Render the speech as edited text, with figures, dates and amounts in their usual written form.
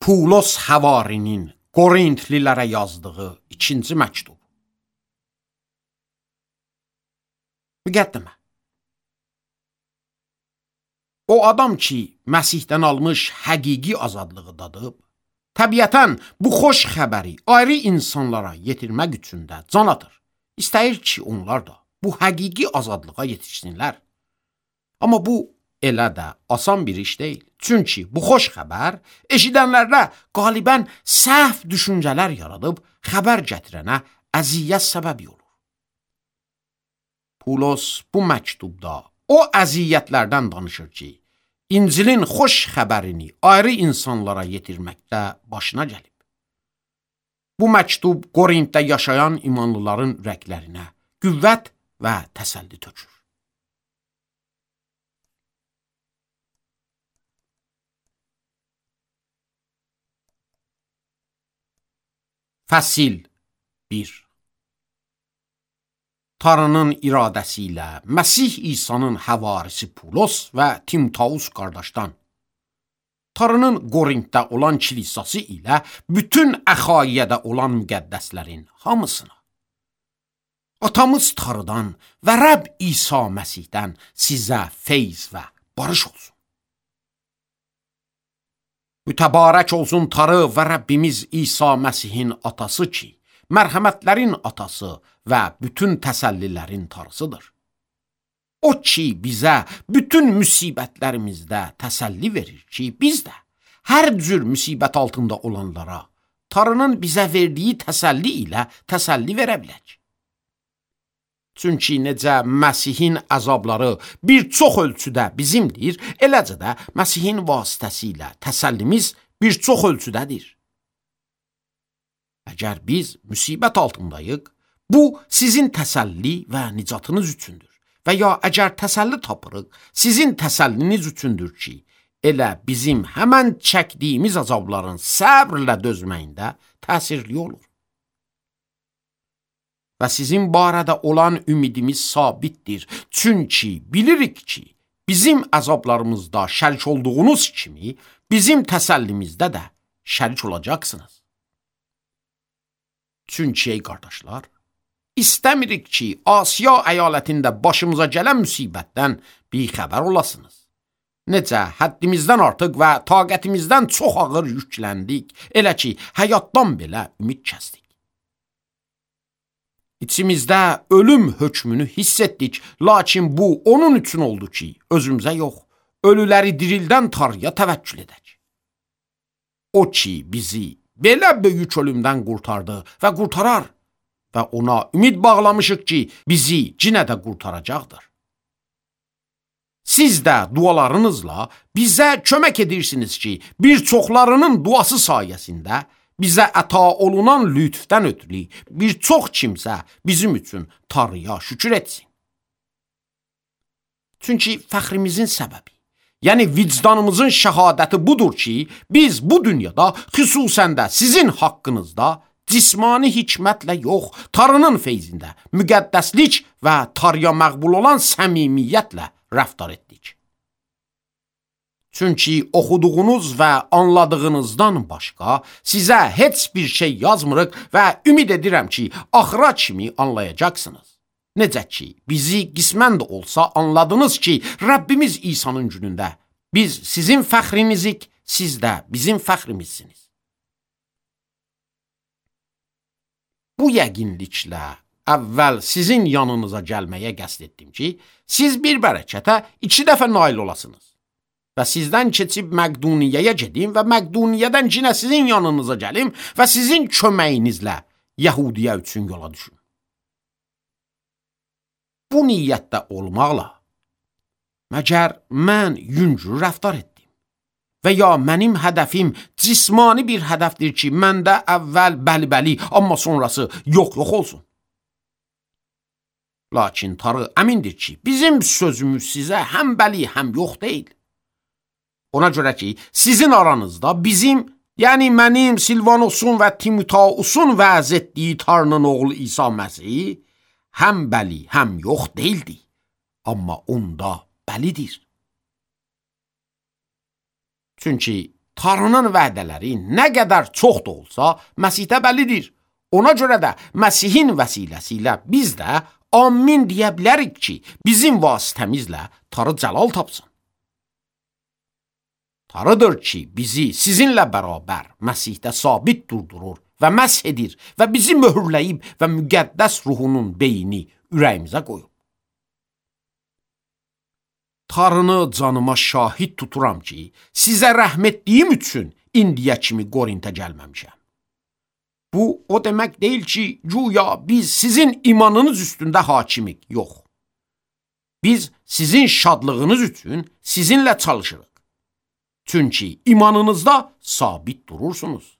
Pulos Həvarinin Qorintlilərə yazdığı 2-ci məktub. Müqəddimə. O adam ki, Məsihdən almış həqiqi azadlığı dadıb, təbiətən bu xoş xəbəri ayrı insanlara yetirmək üçün də can atır. İstəyir ki, onlar da bu həqiqi azadlığa yetişsinlər. Amma bu elə də asan bir iş deyil. Çünki bu xoş xəbər eşidənlərdə qalibən səhv düşüncələr yaradıb xəbər gətirənə əziyyət səbəbi olur. Pulos bu məktubda o əziyyətlərdən danışır ki, İncilin xoş xəbərini ayrı insanlara yetirməkdə başına gəlib. Bu məktub Qorintdə yaşayan imanlıların ürəklərinə qüvvət və təsəlli tökür. Fəsil 1. Tanrının iradəsi ilə Məsih İsa'nın həvarisi Pulos və Timoteus qardaşdan, Tanrının Qorintdə olan kilisası ilə bütün Əxaiyədə olan müqəddəslərin hamısına, Atamız Tanrıdan və Rəbb İsa Məsihdən sizə feyz və barış olsun. Mütəbarək olsun Tanrı və Rəbbimiz İsa Məsihin atası ki, mərhəmətlərin atası və bütün təsəllilərin Tanrısıdır. O ki, bizə bütün müsibətlərimizdə təsəlli verir ki, biz də hər cür müsibət altında olanlara Tanrının bizə verdiyi təsəlli ilə təsəlli verə bilək. Çünki necə Məsihin əzabları bir çox ölçüdə bizimdir, eləcə də Məsihin vasitəsilə təsəllimiz bir çox ölçüdədir. Əgər biz müsibət altındayıq, bu sizin təsəlli və nicatınız üçündür. Və ya əgər təsəlli tapırıq, sizin təsəlliniz üçündür ki, elə bizim həmən çəkdiyimiz əzabların səbrlə dözməyində təsirli olur. Və sizin barədə olan ümidimiz sabitdir. Çünki bilirik ki, bizim əzablarımızda şərik olduğunuz kimi, bizim təsəllimizdə də şərik olacaqsınız. Çünki ey qardaşlar, istəmirik ki, Asiya əyalətində başımıza gələn müsibətdən bixəbər olasınız. Necə həddimizdən artıq və taqətimizdən çox ağır yükləndik, elə ki, həyatdan belə ümid kəsdik. İçimizdə ölüm hökmünü hiss etdik, lakin bu onun üçün oldu ki, özümüzə yox, ölüləri dirildən Tanrıya təvəkkül edək. O ki, bizi belə böyük ölümdən qurtardı və qurtarar və ona ümid bağlamışıq ki, bizi yenə də qurtaracaqdır. Siz də dualarınızla bizə kömək edirsiniz ki, bir çoxlarının duası sayəsində bizə əta olunan lütfdən ötürü bir çox kimsə bizim üçün Tanrıya şükür etsin. Çünki fəxrimizin səbəbi, yəni vicdanımızın şəhadəti budur ki, biz bu dünyada, xüsusən də sizin haqqınızda cismani hikmətlə yox, Tanrının feyzində, müqəddəslik və Tanrıya məqbul olan səmimiyyətlə rəftar etdik. Çünki oxuduğunuz və anladığınızdan başqa sizə heç bir şey yazmırıq və ümid edirəm ki, axıra kimi anlayacaqsınız. Necə ki, bizi qismən də olsa anladınız ki, Rəbbimiz İsa'nın günündə biz sizin fəxrinizik, siz də bizim fəxrimizsiniz. Bu yəqinliklə əvvəl sizin yanınıza gəlməyə qəsd etdim ki, siz bir bərəkətə 2 dəfə nail olasınız. Və sizdən keçib Məqduniyəyə gedim və Məqduniyədən yenə sizin yanınıza gəlim və sizin köməyinizlə Yəhudiyə üçün yola düşün. Bu niyyətdə olmaqla, məgər mən yüngül rəftar etdim və ya mənim hədəfim cismani bir hədəfdir ki, məndə əvvəl bəli, amma sonrası yox olsun. Lakin Tanrı əmindir ki, bizim sözümüz sizə həm bəli, həm yox deyil. Ona görə ki, sizin aranızda bizim, yəni mənim Silvanosun və Timoteusun vəz etdiyi Tanrının oğlu İsa Məsih, həm bəli, həm yox deyildi, amma onda bəlidir. Çünki Tanrının vədələri nə qədər çox da olsa, Məsihdə bəllidir. Ona görə də Məsihin vəsiləsi biz də amin deyə bilərik ki, bizim vasitəmizlə Tanrı cəlal tapsın. Tanrıdır ki, bizi sizinlə bərabər Məsihdə sabit durdurur və məsh edir və bizi möhürləyib və müqəddəs ruhunun beyni ürəyimizə qoyub. Tanrını canıma şahid tuturam ki, sizə rəhm etdiyim üçün indiyə kimi Qorintə gəlməmişəm. Bu, o demək deyil ki, güya biz sizin imanınız üstündə hakimik, yox. Biz sizin şadlığınız üçün sizinlə çalışırıq. Çünki imanınızda sabit durursunuz.